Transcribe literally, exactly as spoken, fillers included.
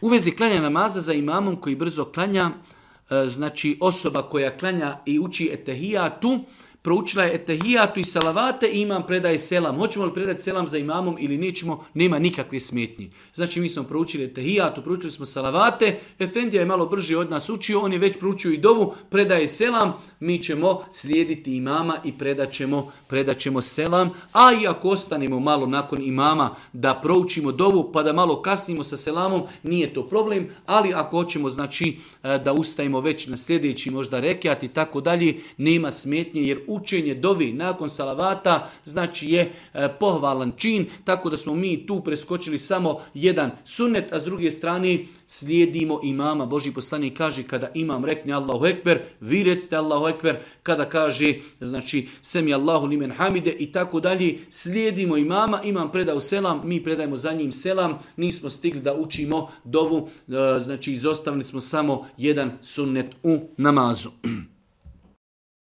U vezi klanja namaza za imamom koji brzo klanja, znači osoba koja klanja i uči etehijatu, proučila je etehijatu i salavate i imam predaje selam. Hoćemo li predati selam za imamom ili nećemo, nema nikakve smetnji. Znači mi smo proučili etehijatu, proučili smo salavate, Efendija je malo brže od nas učio, on je već proučio i dovu, predaje selam, mi ćemo slijediti imama i predat ćemo, predat ćemo selam. A i ako ostanemo malo nakon imama da proučimo dovu pa da malo kasnimo sa selamom, nije to problem, ali ako hoćemo znači da ustajemo već na sljedeći možda rekiat i tako dalje, nema smetnje jer učenje dovi nakon salavata znači je e, pohvalan čin, tako da smo mi tu preskočili samo jedan sunnet, a s druge strane slijedimo imama. Božji poslanik kaže kada imam rekne Allahu ekber, vi recite Allahu ekber, kada kaže znači semi Allahu limen hamide i tako dalje, slijedimo imama, imam predao selam, mi predajemo za njim selam, nismo stigli da učimo dovu, e, znači izostavili smo samo jedan sunnet u namazu.